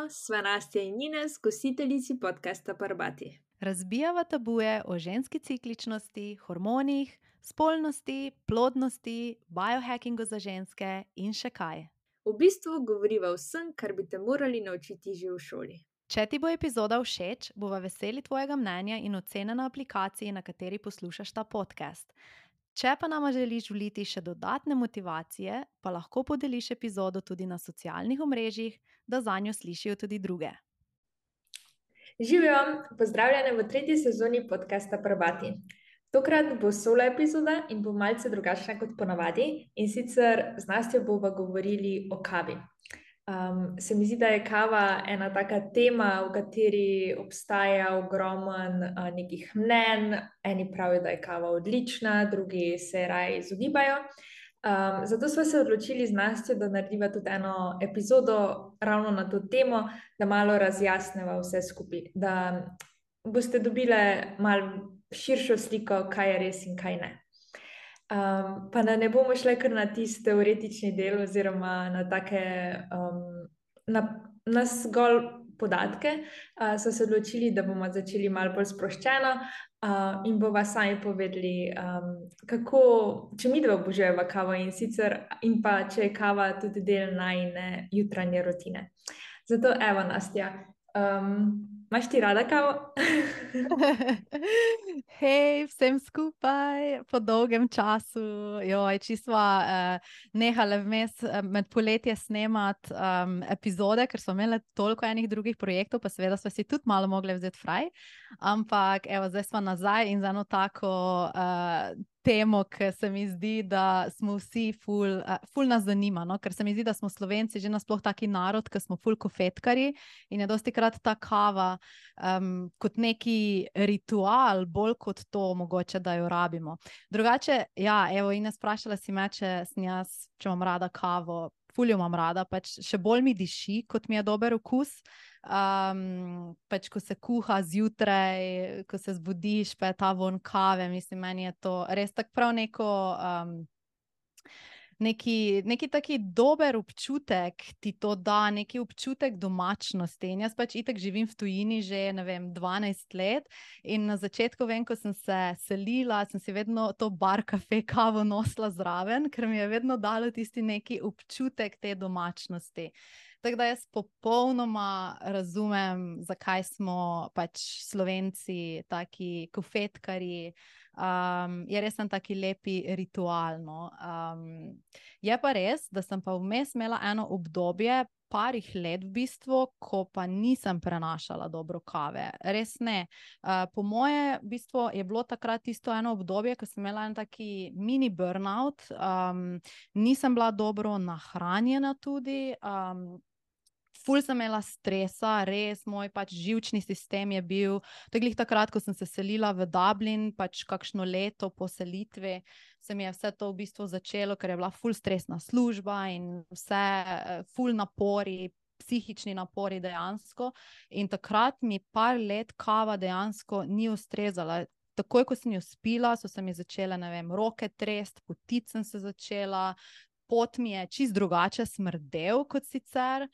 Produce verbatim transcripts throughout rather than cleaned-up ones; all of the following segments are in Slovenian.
Živijo, sva Nastja in Ines, gostiteljici podcasta Parbati. Razbijava tabuje o ženski cikličnosti, hormonih, spolnosti, plodnosti, biohackingu za ženske in še kaj. V bistvu govoriva o vsem, kar bi te morali naučiti že v šoli. Če ti bo epizoda všeč, bova veseli tvojega mnenja in ocene na aplikaciji, na kateri poslušaš ta podcast. Če pa nama želiš vliti še dodatne motivacije, pa lahko podeliš epizodo tudi na socialnih omrežjih, da zanjo slišijo tudi druge. Živijo, pozdravljene v tretji sezoni podcasta Parbati. Tokrat bo solo epizoda in bo malce drugačna kot ponavadi, in sicer z Nastjo bova govorili o kavi. Um, se mi zdi, da je kava ena taka tema, v kateri obstaja ogromen uh, nekih mnenj. Eni pravijo, da je kava odlična, drugi se raje izogibajo. Um, zato smo se odločili z Nastjo, da narediva tudi eno epizodo ravno na to temo, da malo razjasneva vse skupaj, da boste dobile malo širšo sliko, kaj je res in kaj ne. Um, pa da ne bomo šli kar na tisti teoretični del oziroma na take um, na, na zgolj podatke, uh, so se odločili, da bomo začeli malo bolj sproščeno uh, in bova sami povedali, um, kako, če mi dva obožujeva kavo in sicer, in pa če je kava tudi del najine jutranje rutine. Zato evo, Nastja, um, imaš ti rada kavo? Hej, vsem skupaj, po dolgem času, joj, čisto uh, nehale vmes uh, med poletje snemati um, epizode, ker smo imeli toliko enih drugih projektov, pa seveda smo si tudi malo mogli vzeti fraj, ampak evo, zdaj smo nazaj in za eno tako uh, temo, ki se mi zdi, da smo vsi ful, uh, ful nas zanima, no? Ker se mi zdi, da smo Slovenci že nasploh taki narod, ki smo ful kofetkari in je dosti krat ta kava um, kot neki ritual, bolj kot to mogoče, da jo rabimo. Drugače, ja, evo, Ines, sprašala si me, če sem jaz, če imam rada kavo. Ful jo imam rada, pač še bolj mi diši, kot mi je dober okus. Um, pač ko se kuha zjutraj, ko se zbudiš, pa je ta von kave, mislim, meni je to res tako prav neko um, neki, neki taki dober občutek ti to da, neki občutek domačnosti. In jaz pač itak živim v tujini že, ne vem, dvanajst let in na začetku vem, ko sem se selila, sem si vedno to bar kafe kavo nosila zraven, ker mi je vedno dalo tisti neki občutek te domačnosti. Tako da jaz popolnoma razumem, zakaj smo pač Slovenci taki kofetkarji. Um, je res en taki lepi ritual, no. Um, je pa res, da sem pa vmes imela eno obdobje, parih let v bistvu, ko pa nisem prenašala dobro kave. Res ne. Uh, po moje v bistvu je bilo takrat tisto eno obdobje, ko sem imela en taki mini burnout, um, nisem bila dobro nahranjena tudi, um, ful sem imela stresa, res, moj pač živčni sistem je bil, to je glih takrat, ko sem se selila v Dublin, pač kakšno leto po selitvi, se mi je vse to v bistvu začelo, ker je bila ful stresna služba in vse ful napori, psihični napori dejansko, in takrat mi par let kava dejansko ni ustrezala. Takoj, ko sem jo spila, so se mi začele, ne vem, roke trest, potit sem se začela, pot mi je čist drugače smrdel kot sicer,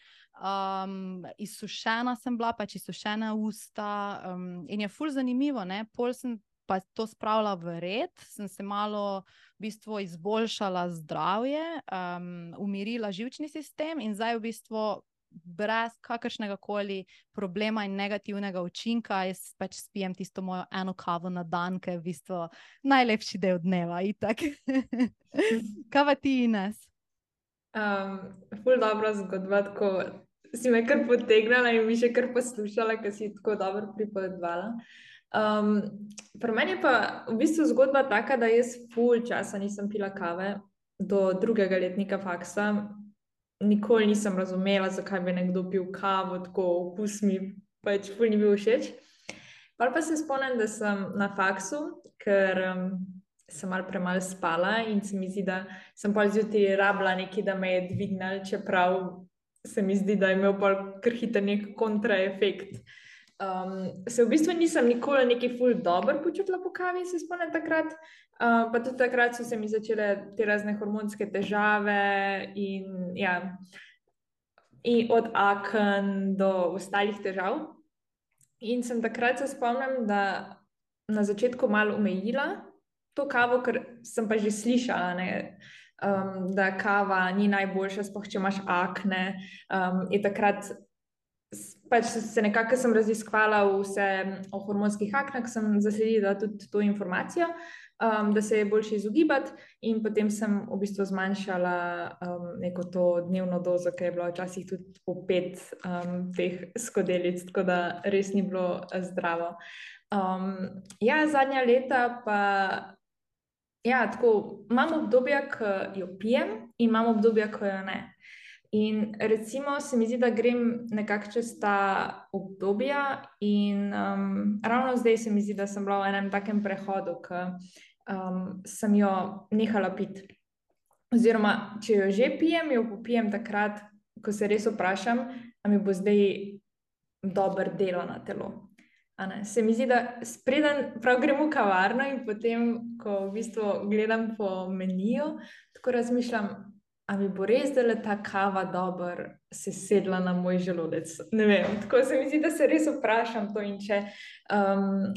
um, izsušena sem bila, pač izsušena usta, um, in je ful zanimivo, ne, pol sem pa to spravila v red, sem se malo v bistvu izboljšala zdravje, um, umirila živčni sistem in zdaj v bistvu brez kakršnega koli problema in negativnega učinka, jaz pač spijem tisto mojo eno kavo na dan, ki je v bistvu najlepši del dneva, itak. Kaj pa ti, Ines? Um, ful dobra zgodba, tako si me kar potegnala in mi še kar poslušala, ker si tako dobro pripovedovala. Um, pri meni je pa v bistvu zgodba taka, da jaz ful časa nisem pila kave do drugega letnika faksa. Nikoli nisem razumela, zakaj bi nekdo pil kavo, tako okus mi pač ful ni bil všeč. Pa pa se spomnim, da sem na faksu, ker um, sem malo premalo spala in se mi zdi, da sem pol zjutraj rabila nekaj, da me je dvignil, čeprav se mi zdi, da je imel pol kar hiter nek kontraefekt. Um, se v bistvu nisem nikoli nekaj ful dobro počutila po kavi, se spomnim takrat, uh, pa tudi takrat so se mi začele te razne hormonske težave in ja, in od aken do ostalih težav. In sem takrat se spomnim, da na začetku malo omejila to kavo, ker sem pa že slišala, ne, um, da kava ni najboljša, sploh če imaš akne. Um, in takrat pač se nekako sem raziskvala vse o hormonskih aknah, sem zasledila tudi to informacijo, um, da se je boljše izogibati, in potem sem v bistvu zmanjšala um, neko to dnevno dozo, ki je bila včasih tudi po pet um, teh skodelic, tako da res ni bilo zdravo. Um, ja, zadnja leta pa ja, tako imam obdobja, ko jo pijem, in imam obdobja, ko jo ne. In recimo se mi zdi, da grem nekako čez ta obdobja, in um, ravno zdaj se mi zdi, da sem bila v enem takem prehodu, ko um, sem jo nehala piti. Oziroma, če jo že pijem, jo popijem takrat, ko se res vprašam, a mi bo zdaj dobro delo na telo. Se mi zdi, da spreden prav grem v kavarno in potem, ko v bistvu gledam po meniju, tako razmišljam, a mi bo res, da le ta kava dobro se sedla na moj želodec. Ne vem, tako se mi zdi, da se res vprašam to, in če, um,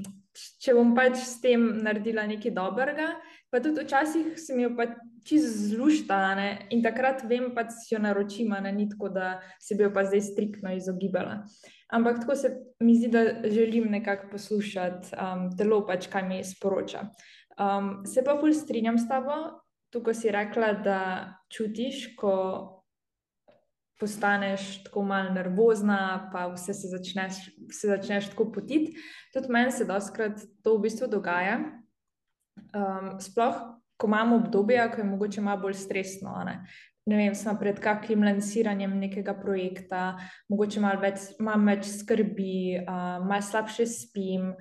če bom pač s tem naredila nekaj dobrega, pa tudi včasih se mi jo pa čisto zlušta, ne? In takrat vem, pa si jo naročim, ne, ni tako, da se bi jo pa zdaj striktno izogibala. Ampak tako se mi zdi, da želim nekako poslušati um, telo, pač kaj mi sporoča. Um, se pa ful strinjam s tabo, tukaj si rekla, da čutiš, ko postaneš tako malo nervozna, pa vse se začneš, se začneš tako potiti. Tudi meni se dostikrat to v bistvu dogaja. Um, sploh, ko imamo obdobje, ko je mogoče malo bolj stresno, ne? Ne vem, smo pred kakšnim lansiranjem nekega projekta, mogoče malo več, malo več skrbi, uh, malo slabše spim.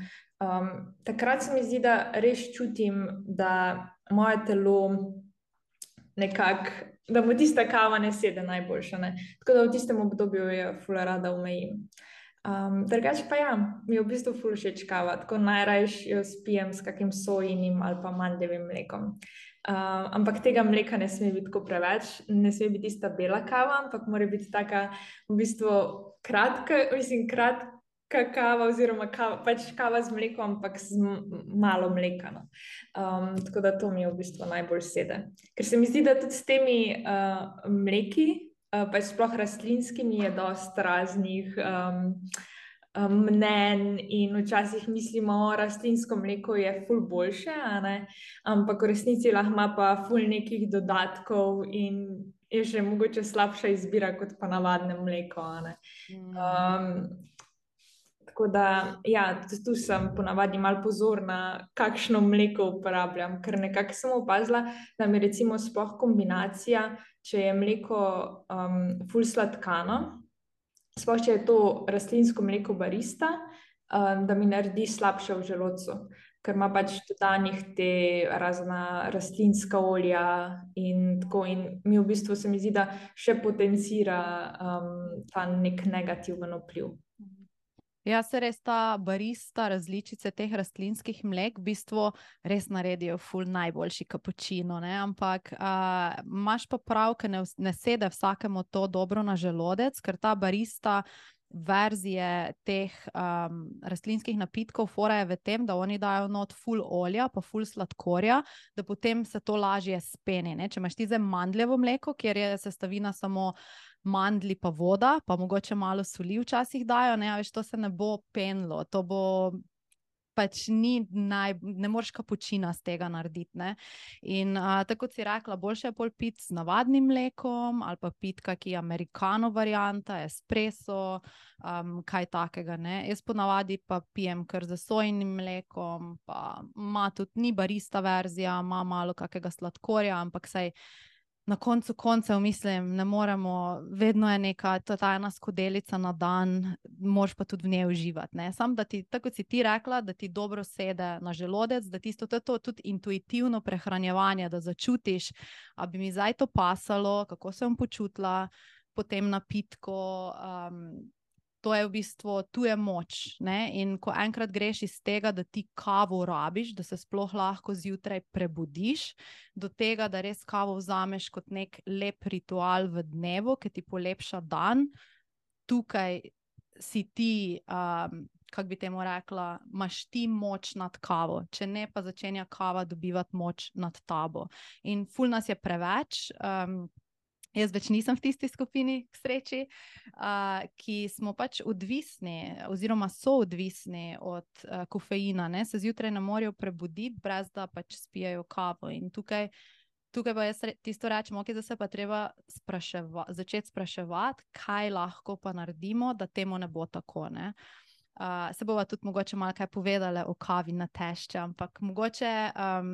Um, takrat se mi zdi, da res čutim, da moje telo nekako, da mu tista kava ne sede najboljša, ne? Tako da v tistem obdobju jo ful rada omejim. Um, drugače pa ja, mi je v bistvu ful všeč kava, tako najrajš jo spijem s kakim sojinim ali pa mandljevim mlekom. Uh, ampak tega mleka ne sme biti tako preveč, ne sme biti tista bela kava, ampak mora biti taka v bistvu kratka, mislim, kratka kava, oziroma kava, pač kava z mlekom, ampak z malo mleka. No. Um, tako da to mi je v bistvu najbolj sede. Ker se mi zdi, da tudi s temi uh, mleki, uh, pač sploh rastlinskimi, je dosti raznih um, um, mnenj, in včasih mislimo, o rastlinsko mleko je ful boljše, a ne? Ampak v resnici lahko ima pa ful nekih dodatkov in je še mogoče slabša izbira kot pa navadne mleko, a ne? Um, Tako da, ja, tu sem ponavadi malo pozorna, kakšno mleko uporabljam, ker nekako sem opazila, da mi recimo sploh kombinacija, če je mleko um, ful sladkano, sploh če je to rastlinsko mleko barista, um, da mi naredi slabše v želodcu, ker ima pač dodanih te razna rastlinska olja in tako, in mi v bistvu se mi zdi, da še potencira um, ta nek negativen vpliv. Ja, se res ta barista, različice teh rastlinskih mlek v bistvu res naredijo ful najboljši kapučino, ne? Ampak uh, imaš pa prav, ker ne, ne sede vsakemu to dobro na želodec, ker ta barista verzije teh um, rastlinskih napitkov, fora je v tem, da oni dajo not ful olja, pa ful sladkorja, da potem se to lažje speni, ne? Če imaš ti zdaj mandljevo mleko, kjer je sestavina samo mandlji pa voda, pa mogoče malo soli včasih dajo, ne, a veš, to se ne bo penlo, to bo pač ni naj, ne moreš kapučina z tega narediti, ne. In a, tako si rekla, boljše je pol piti z navadnim mlekom ali pa piti kaki americano varianta, espresso, um, kaj takega, ne. Jaz ponavadi pa pijem kar z sojinim mlekom, pa ima tudi, ni barista verzija, ima malo kakega sladkorja, ampak saj na koncu koncev mislim, ne moremo, vedno je neka ta ena skodelica na dan, moraš pa tudi v njej uživati, ne. Sam, da ti, tako kot si ti rekla, da ti dobro sede na želodec, da tisto, to je to tudi intuitivno prehranjevanje, da začutiš, a bi mi zdaj to pasalo, kako se bom počutila po tem napitku, um, to je v bistvu, tu je moč, ne? In ko enkrat greš iz tega, da ti kavo rabiš, da se sploh lahko zjutraj prebudiš, do tega, da res kavo vzameš kot nek lep ritual v dnevu, ki ti polepša dan, tukaj si ti, um, kako bi temu rekla, imaš ti moč nad kavo, če ne pa začenja kava dobivati moč nad tabo. In ful nas je preveč, um, jaz več nisem v tisti skupini, k sreči, uh, ki smo pač odvisni oziroma so odvisni od uh, kofeina, ne, se zjutraj ne morejo prebuditi, brez da pač spijajo kavo. In tukaj Tukaj pa jaz tisto rečem, ok, da se pa treba spraševa, začeti spraševati, kaj lahko pa naredimo, da temu ne bo tako, ne. Uh, se bova tudi mogoče malo kaj povedala o kavi na tešče, ampak mogoče, um,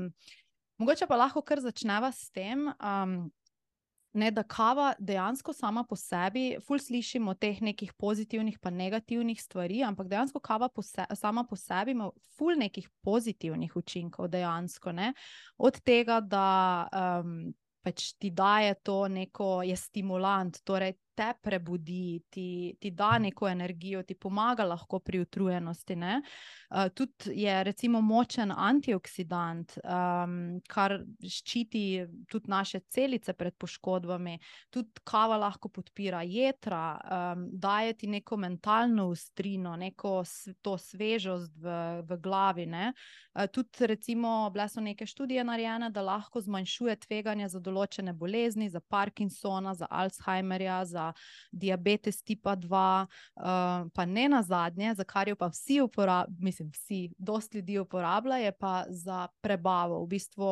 mogoče pa lahko kar začneva s tem, um, ne, da kava dejansko sama po sebi, ful slišimo teh nekih pozitivnih pa negativnih stvari, ampak dejansko kava po se, sama po sebi ima ful nekih pozitivnih učinkov dejansko, ne. Od tega, da um, pač ti daje to neko, je stimulant, torej te prebudi, ti, ti da neko energijo, ti pomaga lahko pri utrujenosti, ne. Uh, tudi je recimo močen antioksidant, um, kar ščiti tudi naše celice pred poškodbami, tudi kava lahko podpira jetra, um, daje ti neko mentalno ostrino, neko to svežost v, v glavi, ne. Uh, tudi recimo bile so neke študije narejene, da lahko zmanjšuje tveganje za določene bolezni, za Parkinsona, za Alzheimerja, za diabetes tipa dva, uh, pa ne nazadnje, za kar jo pa vsi uporabljajo, mislim vsi, dosti ljudi uporablja, je pa za prebavo. V bistvu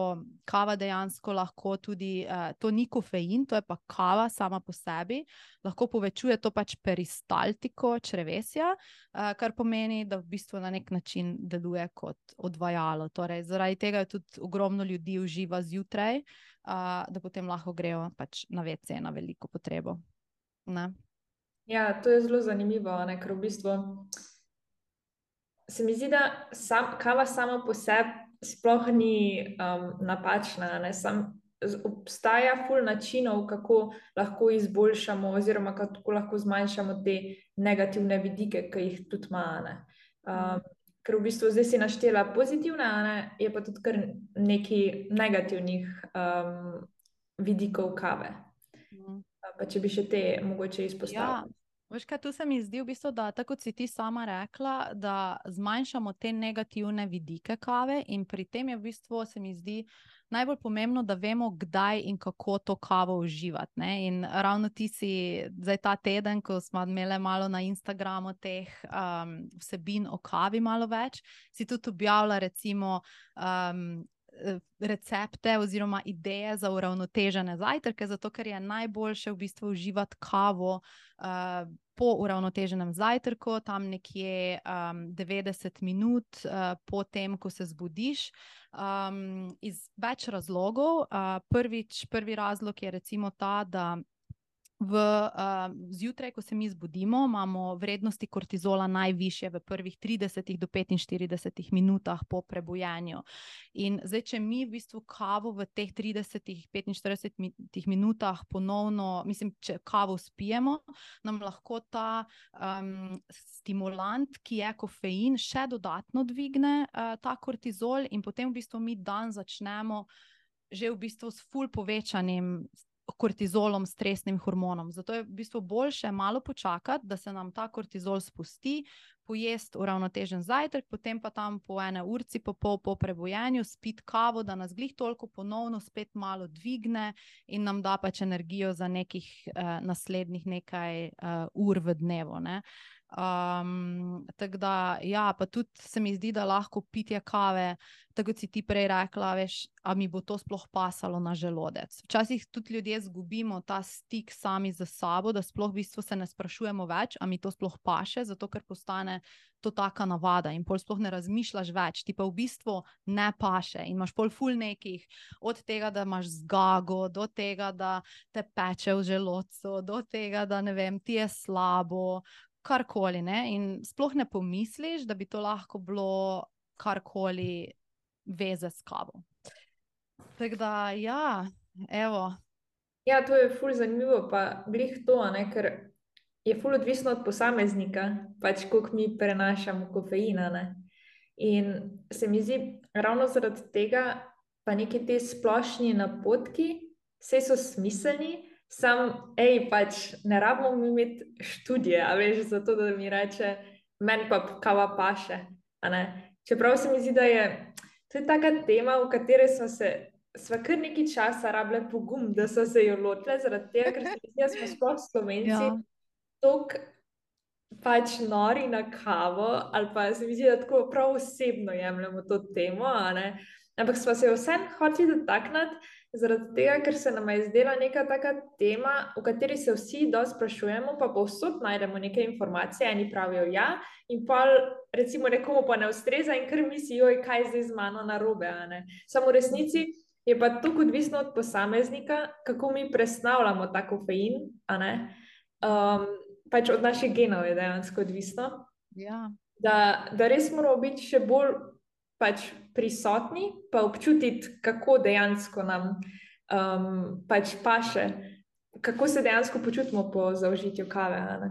kava dejansko lahko tudi, uh, to ni kofein, to je pa kava sama po sebi, lahko povečuje to pač peristaltiko črevesja, uh, kar pomeni, da v bistvu na nek način deluje kot odvajalo. Torej, zaradi tega je tudi ogromno ljudi uživa zjutraj, uh, da potem lahko grejo pač na ve ce na veliko potrebo. Ne. Ja, to je zelo zanimivo, ne, ker v bistvu se mi zdi, da sam, kava sama po sebi sploh ni um, napačna, ne, sam, z, obstaja ful načinov, kako lahko izboljšamo oziroma kako lahko zmanjšamo te negativne vidike, ki jih tudi ima, ne. Um, ker v bistvu zdaj si naštela pozitivne, ne, je pa tudi kar nekaj negativnih um, vidikov kave. Mm. Pa če bi še te mogoče izpostavili. Ja, veš kaj, tu se mi zdi v bistvu, da tako kot si ti sama rekla, da zmanjšamo te negativne vidike kave in pri tem je v bistvu, se mi zdi, najbolj pomembno, da vemo, kdaj in kako to kavo uživati, ne. In ravno ti si zdaj ta teden, ko smo imeli malo na Instagramu teh um, vsebin o kavi malo več, si tudi objavila recimo um, recepte oziroma ideje za uravnotežene zajtrke, zato ker je najboljše v bistvu uživati kavo uh, po uravnoteženem zajtrku, tam nekje um, devetdeset minut uh, po tem, ko se zbudiš, um, iz več razlogov. Uh, prvič, prvi razlog je recimo ta, da V, uh, zjutraj, ko se mi zbudimo, imamo vrednosti kortizola najvišje v prvih tridesetih do petinštiridesetih minutah po prebujenju. In zdaj, če mi v bistvu kavo v teh tridesetih, petinštiridesetih minutah ponovno, mislim, če kavo spijemo, nam lahko ta um, stimulant, ki je kofein, še dodatno dvigne uh, ta kortizol in potem v bistvu mi dan začnemo že v bistvu s ful povečanim kortizolom, stresnim hormonom. Zato je v bistvu boljše malo počakati, da se nam ta kortizol spusti, pojesti uravnotežen zajtrk, potem pa tam po ene urci po pol po prebujenju spiti kavo, da nas glih toliko ponovno spet malo dvigne in nam da pač energijo za nekih uh, naslednjih nekaj uh, ur v dnevu, ne. Um, tako da, ja, pa tudi se mi zdi, da lahko pitje kave, tako kot si ti prej rekla, veš, a mi bo to sploh pasalo na želodec. Včasih tudi ljudje zgubimo ta stik sami z sabo, da sploh v bistvu se ne sprašujemo več, a mi to sploh paše, zato ker postane to taka navada in pol sploh ne razmišljaš več, ti pa v bistvu ne paše in imaš pol ful nekih, od tega, da imaš zgago, do tega, da te peče v želodcu, do tega, da ne vem, ti je slabo, karkoli, ne, in sploh ne pomisliš, da bi to lahko bilo karkoli veze s kavo. Tako da, ja, evo. Ja, to je ful zanimivo, pa glih to, ne, ker je ful odvisno od posameznika, pač koliko mi prenašamo kofeina, ne. In se mi zdi, ravno zaradi tega, pa neki te splošni napotki, vse so smiselni, sam, ej, pač ne rabimo mi imeti študije, a veš, zato da mi reče, meni pa kava paše, a ne. Čeprav se mi zdi, da je to je taka tema, v kateri smo se, sva kar nekaj časa rabile pogum, da so se jo lotile, zaradi tega, ker se mi zdi, da smo sploh Slovenci Ja. toliko pač nori na kavo, ali pa se mi zdi, da tako prav osebno jemljemo to temo, a ne. Ampak sva se jo vseeno hoteli dotakniti, zaradi tega, ker se nama je zdela neka taka tema, o kateri se vsi dosti sprašujemo, pa povsod najdemo neke informacije, eni pravijo ja, in pol recimo nekomu pa ne ustreza in kar misli, joj, kaj je zdaj z mano narobe, a ne. Samo v resnici je pa toliko odvisno od posameznika, kako mi presnavljamo ta kofein, a ne. Um, pač od naših genov je dejansko odvisno, Ja. da, da res moramo biti še bolj pač prisotni, pa občutiti, kako dejansko nam um, pač paše, kako se dejansko počutimo po zaužitju kave, a ne.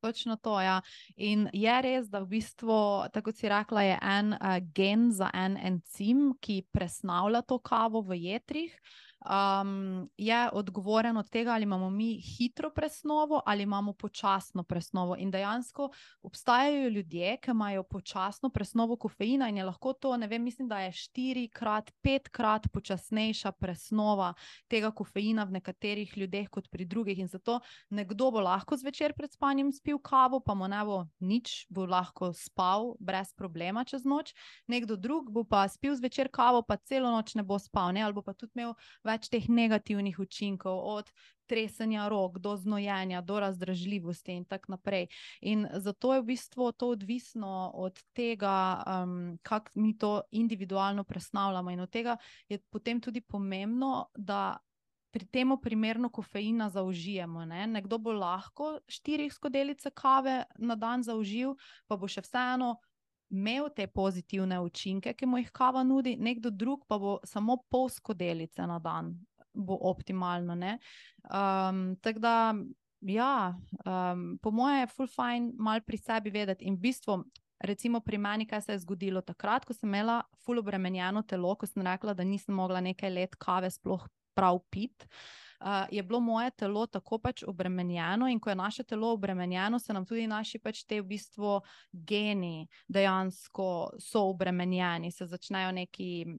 Točno to, ja. In je res, da v bistvu, tako kot si rekla, je en uh, gen za en encim, ki presnavlja to kavo v jetrih. Um, je odgovoren od tega, ali imamo mi hitro presnovo ali imamo počasno presnovo. In dejansko obstajajo ljudje, ki imajo počasno presnovo kofeina in je lahko to, ne vem, mislim, da je štirikrat, petkrat počasnejša presnova tega kofeina v nekaterih ljudeh kot pri drugih. In zato nekdo bo lahko zvečer pred spanjem spil kavo, pa mu ne bo nič, bo lahko spal brez problema čez noč. Nekdo drug bo pa spil zvečer kavo, pa celo noč ne bo spal, ne? Ali bo pa tudi imel več teh negativnih učinkov, od tresenja rok, do znojenja, do razdražljivosti in tako naprej. In zato je v bistvu to odvisno od tega, um, kako mi to individualno presnavljamo. In od tega je potem tudi pomembno, da pri temu primerno kofeina zaužijemo, ne? Nekdo bo lahko štiri skodelice kave na dan zaužil, pa bo še vseeno imel te pozitivne učinke, ki mu jih kava nudi, nekdo drug pa bo samo pol skodelice na dan, bo optimalno, ne. Um, tako da, ja, um, po moje je ful fajn malo pri sebi vedeti in v bistvu, recimo pri meni, kaj se je zgodilo takrat, ko sem imela ful obremenjeno telo, ko sem rekla, da nisem mogla nekaj let kave sploh prav piti. Uh, je bilo moje telo tako pač obremenjeno in ko je naše telo obremenjeno, se nam tudi naši pač te v bistvu geni dejansko so obremenjeni, se začnejo neki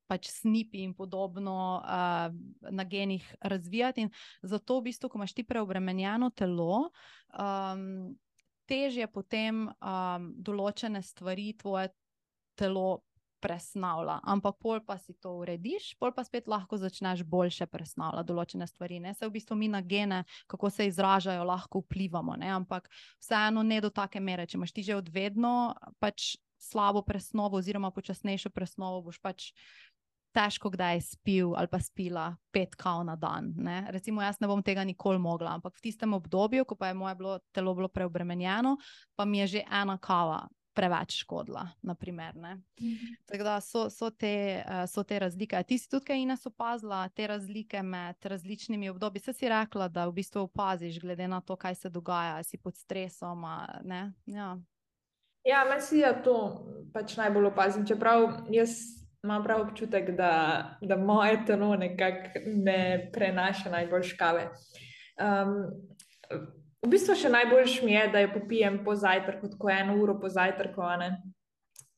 pač snipi in podobno uh, na genih razvijati in zato v bistvu, ko imaš ti preobremenjeno telo, um, težje potem um, določene stvari tvoje telo presnavlja, ampak pol pa si to urediš, pol pa spet lahko začneš boljše presnavljati določene stvari, ne, se v bistvu mi na gene, kako se izražajo, lahko vplivamo, ne, ampak vseeno ne do take mere, če imaš ti že od vedno pač slabo presnovo oziroma počasnejšo presnovo, boš pač težko kdaj spil ali pa spila pet kav na dan, ne, recimo jaz ne bom tega nikoli mogla, ampak v tistem obdobju, ko pa je moje bilo, telo bilo preobremenjeno, pa mi je že ena kava preveč škodila, na primer, ne. Mm-hmm. Tako da so, so, te, uh, so te razlike. A ti si tudi kaj, Ines, opazila te razlike med različnimi obdobji? Saj si rekla, da v bistvu opaziš, glede na to, kaj se dogaja, si pod stresom, a, ne? Ja, ja, meni se ja to pač najbolj opazim, čeprav jaz imam prav občutek, da, da moje telo nekako ne prenaša najbolj kave. Um, V bistvu še najboljš mi je, da jo popijem po zajtrku, tako eno uro po zajtrku, a ne,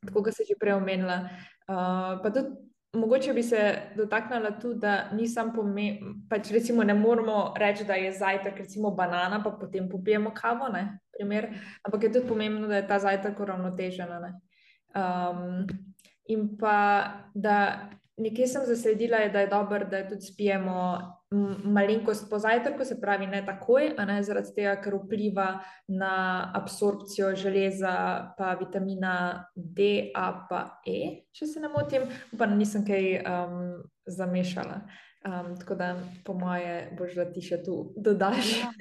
tako kot se že prej omenila. Uh, pa tudi mogoče bi se dotaknila tudi, da nisem pomembno, pač recimo ne moramo reči, da je zajtrk recimo banana, pa potem popijemo kavo, ne, primer, ampak je tudi pomembno, da je ta zajtrk uravnotežen, ne. Um, in pa, da nekje sem zasledila, je, da je dobro, da tudi spijemo malenkost po zajtrku, se pravi ne takoj, a ne, zaradi tega, ker vpliva na absorpcijo železa, pa vitamina D, A pa E, če se ne motim, pa nisem kaj um, zamešala. Um, tako da po moje boš, da ti še tu dodaš. Ja.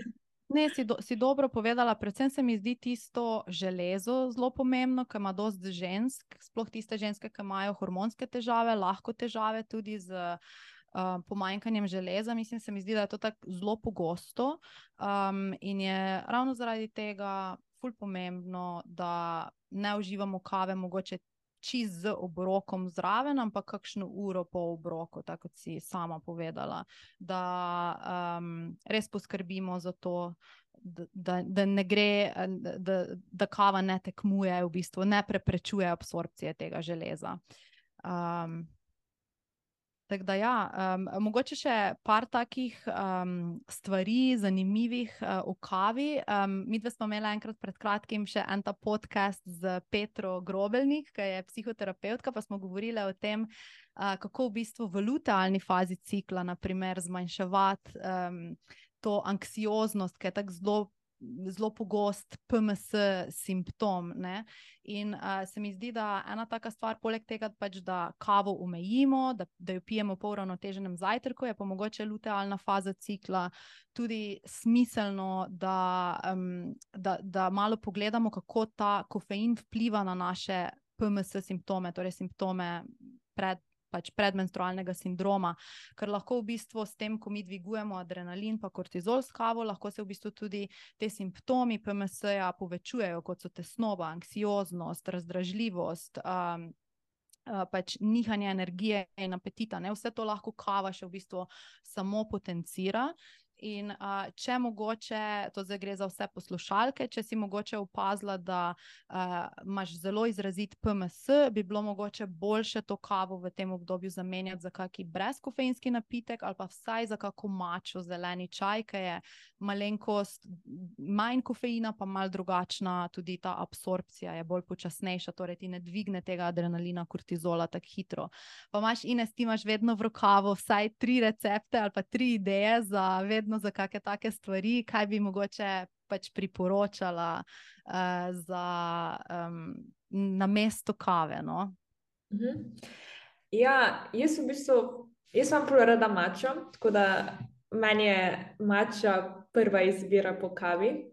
Ne, si, do, si dobro povedala, predvsem se mi zdi tisto železo zelo pomembno, ker ima dosti žensk, sploh tiste ženske, ki imajo hormonske težave, lahko težave tudi z uh, pomanjkanjem železa. Mislim, se mi zdi, da je to tako zelo pogosto um, in je ravno zaradi tega ful pomembno, da ne uživamo kave mogoče čist z obrokom zraven, ampak kakšno uro po obroku, tako kot si sama povedala, da um, res poskrbimo za to, da, da, da ne gre, da, da kava ne tekmuje, v bistvu ne preprečuje absorpcije tega železa. Um, Tako da ja, um, mogoče še par takih um, stvari, zanimivih uh, v kavi. Um, mi dve smo imeli enkrat pred kratkim še en ta podcast z Petro Grobelnik, ki je psihoterapeutka, pa smo govorili o tem, uh, kako v bistvu v lutealni fazi cikla, naprimer, zmanjševati um, to anksioznost, ki je tako zelo zelo pogost P M S simptom, ne? In uh, se mi zdi, da ena taka stvar, poleg tega, pač, da kavo omejimo, da, da jo pijemo po uravnoteženem zajtrku, je pa mogoče lutealna faza cikla tudi smiselno, da, um, da, da malo pogledamo, kako ta kofein vpliva na naše P M S simptome, torej simptome pred pač predmenstrualnega sindroma, ker lahko v bistvu s tem, ko mi dvigujemo adrenalin pa kortizol s kavo, lahko se v bistvu tudi te simptomi P M S-ja povečujejo, kot so tesnoba, anksioznost, razdražljivost, um, uh, pač nihanje energije in apetita, ne? Vse to lahko kava še v bistvu samo potencira. In uh, če mogoče, to zdaj gre za vse poslušalke, če si mogoče opazila, da uh, imaš zelo izrazit P M S, bi bilo mogoče boljše to kavo v tem obdobju zamenjati za kaki brezkofeinski napitek ali pa vsaj za kako mačo zeleni čaj, ki je malenkost manj kofeina, pa malo drugačna, tudi ta absorpcija je bolj počasnejša, torej ti ne dvigne tega adrenalina, kortizola tako hitro. Pa imaš, Ines, ti imaš vedno v rokavu vsaj tri recepte ali pa tri ideje za vedno za kakšne take stvari, kaj bi mogoče pač priporočala uh, za um, namesto kave, no? Uh-huh. Ja, jaz v bistvu, jaz imam prav rada mačo, tako da meni je mača prva izbira po kavi.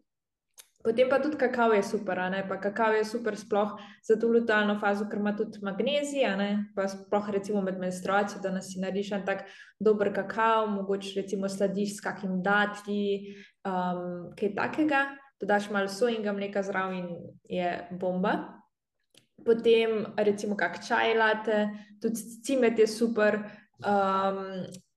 Potem pa tudi kakao je super, a ne, pa kakao je super sploh za to lutealno fazo, ker ima tudi magnezij, a ne, pa sploh recimo med menstruacijo, da nas si narediš en tak dober kakao, mogoče recimo sladiš s kakim datlji, um, kaj takega, dodaš malo sojinga mleka zraven in je bomba. Potem recimo kak čaj latte, tudi cimet je super, um,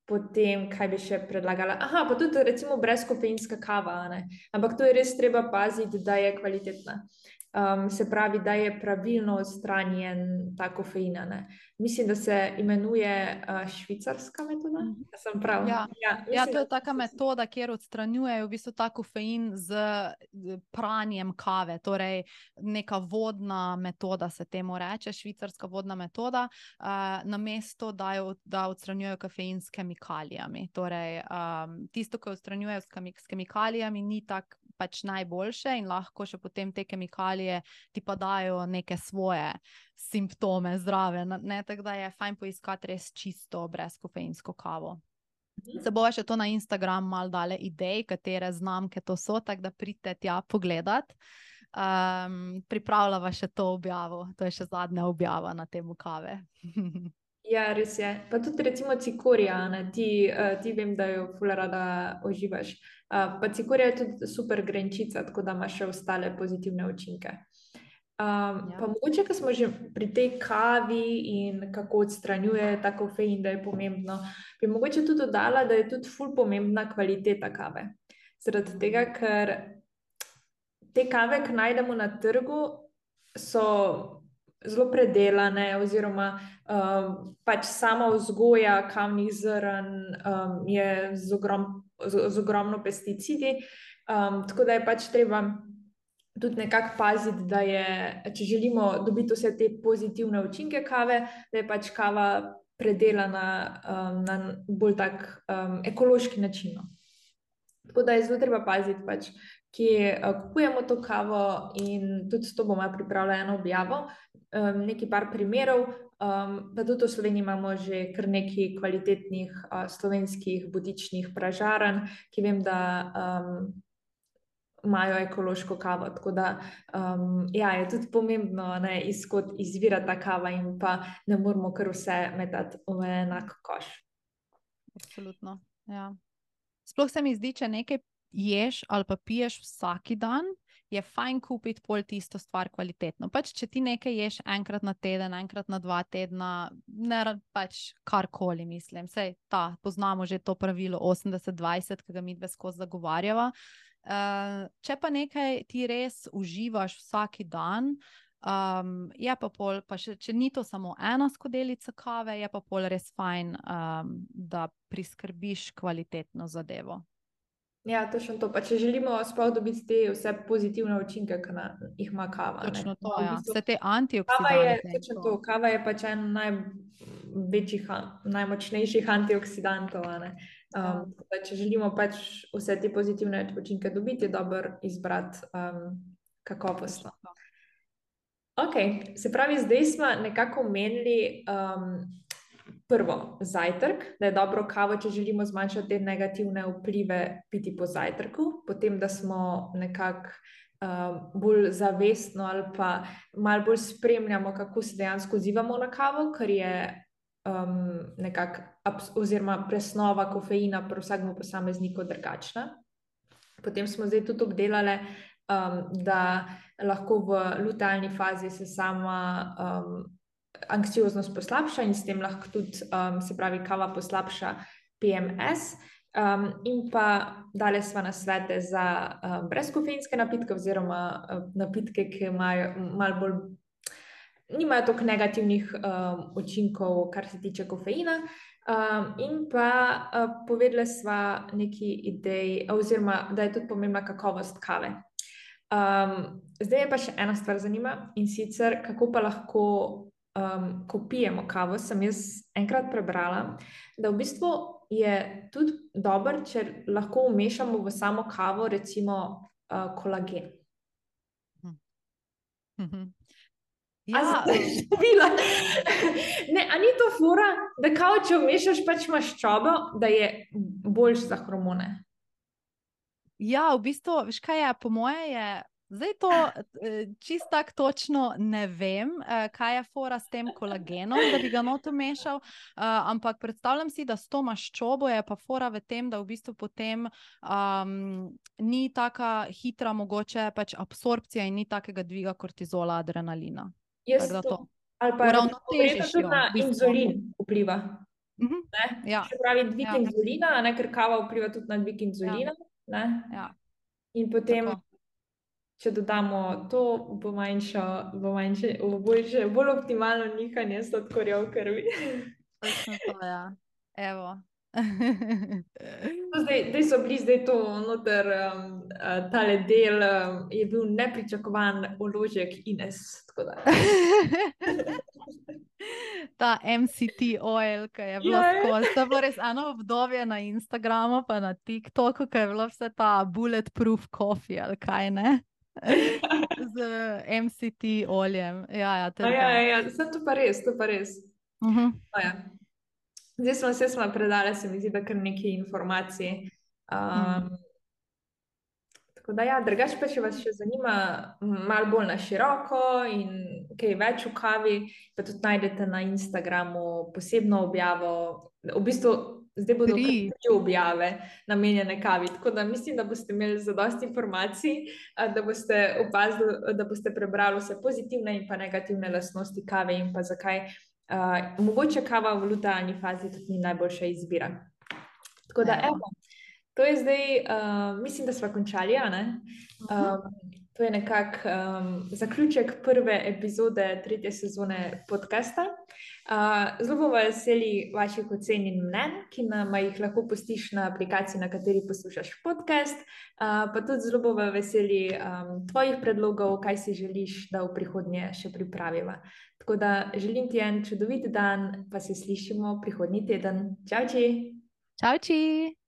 potem, kaj bi še predlagala? Aha, pa tudi recimo brezkofeinska kava, ne? Ampak to je res treba paziti, da je kvalitetna. Um, se pravi, da je pravilno odstranjen ta kofein, ne? Mislim, da se imenuje uh, švicarska metoda. Mhm. Sem prav? Ja. Ja, Ja, mislim, to je da- taka metoda, kjer odstranjujejo v bistvu ta kofein z pranjem kave, torej neka vodna metoda se temu reče, švicarska vodna metoda, uh, namesto da, jo, da odstranjujejo kofein s kemikalijami. Torej, um, tisto, ki odstranjujejo s, kemik s kemikalijami, ni tako pač najboljše in lahko še potem te kemikalije ti pa dajo neke svoje simptome zraven, ne, tako da je fajn poiskati res čisto brezkofeinsko kavo. Se bova še to na Instagram malo dale idej, katere znamke to so, tako da pridite tja pogledat. Um, pripravljava še to objavo, to je še zadnja objava na temu kave. Ja, res je. Pa tudi recimo cikorija, ne, ti, uh, ti vem, da jo ful rada uživaš. Uh, pa cikorija je tudi super grenčica, tako da ima še ostale pozitivne učinke. Um, Ja. pa mogoče, ko smo že pri tej kavi in kako odstranjuje ta kofein, da je pomembno, bi mogoče tudi dodala, da je tudi ful pomembna kvaliteta kave. Zaradi Mhm. tega, ker te kave, ki najdemo na trgu, so zelo predelane, oziroma um, pač sama vzgoja kavnih zrn um, je z, ogrom, z, z ogromno pesticidi, um, tako da je pač treba tudi nekako paziti, da je, če želimo dobiti vse te pozitivne učinke kave, da je pač kava predelana um, na bolj tak um, ekološki način. Tako da je zelo treba paziti, pač, kje uh, kupujemo to kavo, in tudi to bomo pripravili eno objavo, um, nekaj par primerov, um, pa tudi v Sloveniji imamo že kar nekaj kvalitetnih uh, slovenskih butičnih pražarn, ki vem, da um, imajo ekološko kavo, tako da um, ja, je tudi pomembno, ne, izkot izvira ta kava in pa ne moramo kar vse metati v enak koš. Absolutno, ja. Sploh se mi zdi, če nekaj ješ ali pa piješ vsak dan, je fajn kupiti pol tisto stvar kvalitetno. Pač, če ti nekaj ješ enkrat na teden, enkrat na dva tedna, ne pač karkoli, mislim. Sej, ta, poznamo že to pravilo osemdeset dvajset, ki ga mi dve skozi zagovarjava. Uh, če pa nekaj ti res uživaš vsak dan, um, je pa pol, pa še, če ni to samo ena skodelica kave, je pa pol res fajn, um, da priskrbiš kvalitetno zadevo. Ja, točno to. Pa če želimo sploh dobiti te vse pozitivne učinke, ki na, jih ima kava. Točno ne. to, V ja. bistvu, Vse te kava je, antioksidante. točno to, kava je pač en največjih, najmočnejših antioksidantov. a ne. Um, Ja. tako da, če želimo pač vse te pozitivne učinke dobiti, je dobro izbrati um, kakovostno. Točno to. Ok, se pravi, zdaj smo nekako omenili um, prvo zajtrk, da je dobro kavo, če želimo zmanjšati te negativne vplive, piti po zajtrku, potem da smo nekako um, bolj zavestno ali pa malo bolj spremljamo, kako se dejansko odzivamo na kavo, ker je um, nekako abs- oziroma presnova kofeina pri vsakem posamezniku drugačna. Potem smo zdaj tudi obdelali, um, da lahko v lutealni fazi se sama um, anksioznost poslabša in s tem lahko tudi, um, se pravi, kava poslabša P M S. Um, in pa dali smo nasvete za um, brezkofeinske napitke oziroma um, napitke, ki imajo malo bolj, nimajo toliko negativnih um, učinkov, kar se tiče kofeina. Um, in pa uh, povedali sva neki idej, oziroma da je tudi pomembna kakovost kave. Um, zdaj je pa še ena stvar zanima, in sicer kako pa lahko, um, ko pijemo kavo, sem jaz enkrat prebrala, da v bistvu je tudi dobro, če lahko vmešamo v samo kavo recimo uh, kolagen. Mhm. A Ja, si videla? Ne, a ni to fora, da kao, če vmešaš pač maščobo, da je boljš za hormone? ja, v bistvu, veš kaj je, po moje je, zdaj to eh, čist tak točno ne vem, eh, kaj je fora s tem kolagenom, da bi ga not vmešal, eh, ampak predstavljam si, da s to maščobo je pa fora v tem, da v bistvu potem um, ni taka hitra mogoče pač absorpcija in ni takega dviga kortizola, adrenalina. Jaz Tako da to, to ali pa recimo uravnotežiš verjetno tudi jo, na v bistvu. inzulin vpliva. Mhm. Ne? Ja, Se pravi, dvig ja, inzulina, a ne, ker kava vpliva tudi na dvig ja, inzulina. Ne? ja, In potem, tako. če dodamo to, bo manjšo, bo manjše, bo boljše, bolj optimalno nihanje sladkorja v krvi. Točno to, ja. Evo. No, Zdaj, zdaj so bili, zdaj to noter, um, uh, tale del um, je bil nepričakovan vložek Ines. Tako da. Ta M C T oil, ki je bilo Ja, ja. skozi. To je bilo res eno obdobje na Instagramu, pa na TikToku, ki je bilo vse ta bulletproof coffee ali kaj ne. Z M C T oljem. Ja, ja, to A je ja, to. ja, sem to pa res, to pa res. Mhm. No, ja. Zdaj smo se smo predali, se mi zdi, da kar nekaj informacij. Um, Mm. tako da, ja, drugače pa, če vas še zanima m, malo bolj na široko in kaj več o kavi, pa tudi najdete na Instagramu posebno objavo. V bistvu zdaj bodo Tri. kar tri objave namenjene kavi. Tako da mislim, da boste imeli zadosti informacij, a, da boste opazili, da boste prebrali vse pozitivne in pa negativne lastnosti kave in pa zakaj. Uh, mogoče kava v lutealni fazi tudi ni najboljša izbira. Tako da, Evo. evo, to je zdaj, uh, mislim, da smo končali, a ne? Mhm. Um, to je nekako um, zaključek prve epizode tretje sezone podcasta. Uh, zelo bomo veseli vaših ocen in mnenj, ki nam jih lahko pustiš na aplikaciji, na kateri poslušaš podcast. Uh, pa tudi zelo bomo veseli um, tvojih predlogov, kaj si želiš, da v prihodnje še pripraviva. Tako da želim ti en čudovit dan, pa se slišimo prihodnji teden. Čau, či! Čau, či!